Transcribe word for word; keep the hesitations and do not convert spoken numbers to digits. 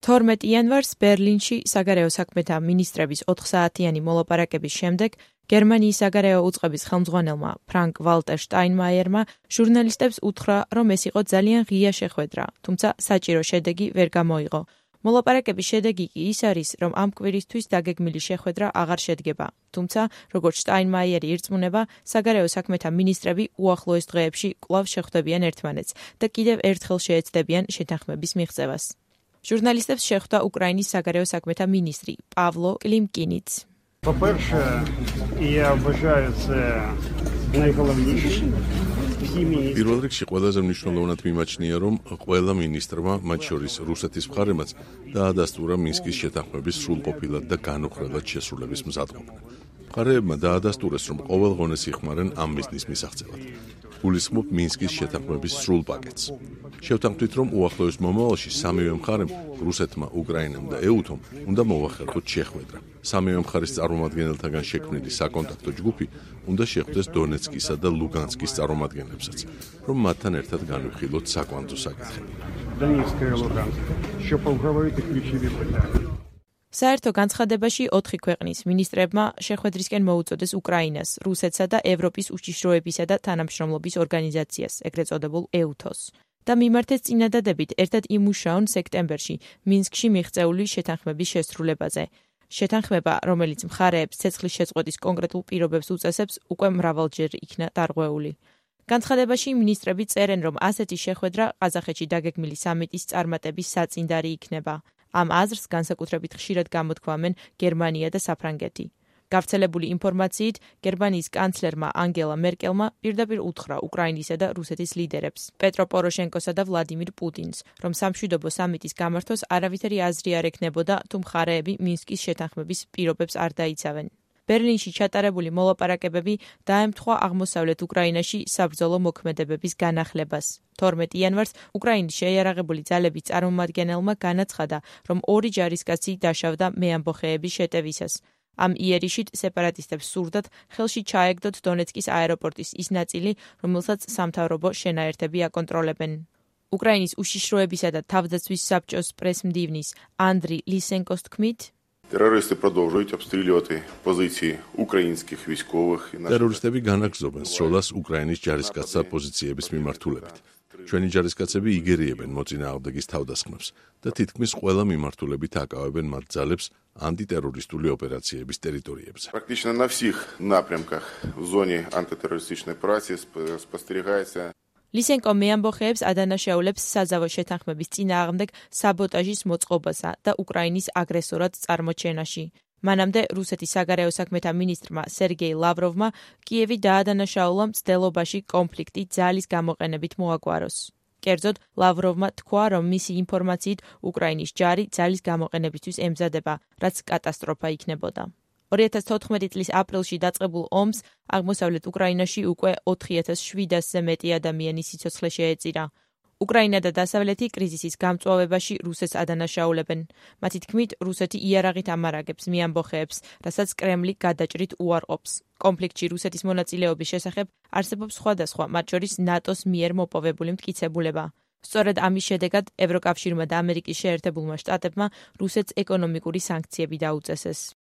თორმეტი იანვარს ბერლინში საგარეო საქმეთა მინისტრების ოთხსაათიანი მოლაპარაკების შემდეგ გერმანიის საგარეო უწყების ხელმძღვანელმა ფრანკ ვალტერ შტაინმაიერმა ჟურნალისტებს უთხრა, რომ ეს იყო ძალიან ღია შეხვედრა, თუმცა საჭირო შედეგი ვერ გამოიღო. მოლაპარაკების შედეგი კი ის არის, რომ ამ კვირისთვის დაგეგმილი შეხვედრა აღარ შედგება. თუმცა, როგორც შტაინმაიერი ირწმუნება, საგარეო საქმეთა მინისტრები უახლოეს დღეებში კვლავ შეხვდებიან ერთმანეთს და კიდევ ერთხელ შეეცდებიან შეთანხმების მიღწევას. ჟურნალისტებს შეხვდა უკრაინის საგარეო საქმეთა მინისტრი პავლო კლიმკინიც. По-перше, я вважаю це найголовніше. პირველ რიგში ყველაზე მნიშვნელოვნად მიმაჩნია, რომ ყველა მინისტრმა, მათ შორის რუსეთის მხარემაც, დაადასტურა მინსკის შეთანხმების სრულყოფილად და განუხრელად შესრულების მზადყოფნა. მხარეებმა დაადასტურეს, რომ ყოველღონე იხმარენ ამ მიზნის მისაღწევად. გულისხმობ მინსკის შეთანხმების სრულ პაკეტს. შევთანხმდით, რომ უახლოეს მომავალში სამივე მხარემ, რუსეთმა, უკრაინამ და ეუთომ, უნდა მოახერხოთ შეხვედრა. სამივე მხარის წარმომადგენელთაგან შექმნილი საკონტაქტო ჯგუფი უნდა შეხვდეს დონეცკისა და ლუგანსკის წარმომადგენლებსაც, რომ მათთან ერთად განვიხილოთ საკვანძო საკითხები. საერთო განცხადებაში ოთხი ქვეყნის მინისტრებმა შეხვედრისკენ მოუწოდეს უკრაინას, რუსეთსა და ევროპის უშიშროებისა და თანამშრომლობის ორგანიზაციას, ეგრეთ წოდებულ ეუთოს. და მიმართეს წინადადებით ერთად იმუშაონ სექტემბერში მინსკში მიღწეული შეთანხმების შესრულებაზე. შეთანხმება, რომელიც მხარეებს ცეცხლის შეწყვეტის კონკრეტულ პირობებს უწესებს, უკვე მრავალჯერ იქნა დარღვეული. განცხადებაში მინისტრები წერენ, რომ ასეთი შეხვედრა ყაზახეთში დაგეგმილი სამიტის წარმატების საწინდარი იქნება. ამ აზრს განსაკუთრებით ხშირად გამოთქვამენ გერმანია და საფრანგეთი. გავრცელებული ინფორმაციით, გერმანიის კანცლერმა ანგელა მერკელმა პირდაპირ უთხრა უკრაინისა და რუსეთის ლიდერებს, პეტრო პოროშენკოსა და ვლადიმირ პუტინს, რომ სამშვიდობო სამიტის გამართვას არავითარი აზრი არ ექნებოდა, თუ მხარეები მინსკის შეთანხმების პირობებს არ დაიცავენ. ბერლინში ჩატარებული მოლაპარაკებები დაემთხვა აღმოსავლეთ უკრაინაში საბრძოლო მოქმედებების განახლებას. თორმეტი იანვარს უკრაინის შეიარაღებული ძალების წარმომადგენელმა განაცხადა, რომ ორი ჯარისკაცი დაშავდა მეამბოხეების შეტევისას. ამ იერიშით სეპარატისტებს სურდათ ხელში ჩაეგდოთ დონეცკის აეროპორტის ის ნაწილი, რომელსაც სამთავრობო შენაერთები აკონტროლებენ. უკრაინის უშიშროებისა და თავდაცვის საბჭოს პრესმდივნის ანდრი ლისენკოს თქმით, Терористи продовжують обстрілювати позиції українських військових. Терористები განაგრძობენ სროლას უკრაინის ჯარისკაცთა პოზიციების მიმართულებით. ჩვენი ჯარისკაცები იგერიებენ მოწინააღმდეგის თავდასხმებს და თითქმის ყველა მიმართულებით აკავებენ მათ ძალებს антитеррористული ოპერაციების ტერიტორიებზე. Практично на всіх напрямках в зоні антитерористичної операції спостерігається ლისენკო მეამბოხეებს ადანაშაულებს საზავო შეთანხმების წინააღმდეგ საბოტაჟის მოწყობასა და უკრაინის აგრესორად წარმოჩენაში. მანამდე რუსეთის საგარეო საქმეთა მინისტრმა სერგეი ლავროვმა კიევი დაადანაშაულა მცდელობაში კონფლიქტი ძალის გამოყენებით მოაგვაროს. კერძოდ, ლავროვმა თქვა, რომ მისი ინფორმაციით უკრაინის ჯარი ძალის გამოყენებისთვის ემზადება, რაც კატასტროფა იქნებოდა. ორი ათას თოთხმეტი წლის აპრილში დაწყებულ ომს აღმოსავლეთ უკრაინაში უკვე ოთხი ათას შვიდასზე მეტი ადამიანი სიცოცხლე შეეწირა. უკრაინა და დასავლეთი კრიზისის გამწვავებაში რუსეთს ადანაშაულებენ. მათი თქმით, რუსეთი იარაღით ამარაგებს მეამბოხეებს, რასაც კრემლი გადაჭრით უარყოფს. კონფლიქტში რუსეთის მონაწილეობის შესახებ არსებობს სხვადასხვა, მათ შორის ნატოს მიერ მოპოვებული მტკიცებულება. სწორედ ამის შედეგად ევროკავშირმა და ამერიკის შეერთებულმა შტატებმა რუსეთს ეკონომიკური სანქციები დაუწესეს.